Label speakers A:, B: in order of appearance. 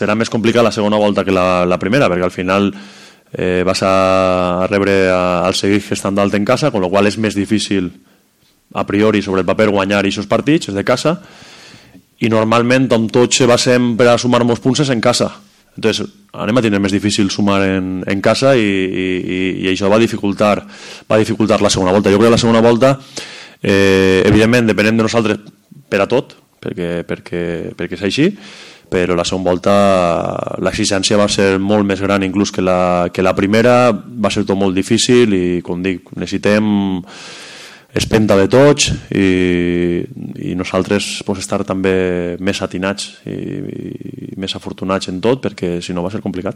A: serà més complicat la segona volta que la primera, perquè al final vas a rebre el Seguí estant dalt en casa, con lo qual és més difícil a priori sobre el paper guanyar aquests partits, és de casa, i normalment amb tots se basem per a sumar molts punts en casa. Entonces anem a tenir més difícil sumar en casa i això va dificultar la segona volta. Jo crec que la segona volta evidentment depenem de nosaltres per a tot, perquè és així, però la segona volta l'exigència va ser molt més gran inclús que la primera, va ser tot molt difícil i, com dic, necessitem espenta de tots i nosaltres estar també més atinats i més afortunats en tot, perquè si no va ser complicat.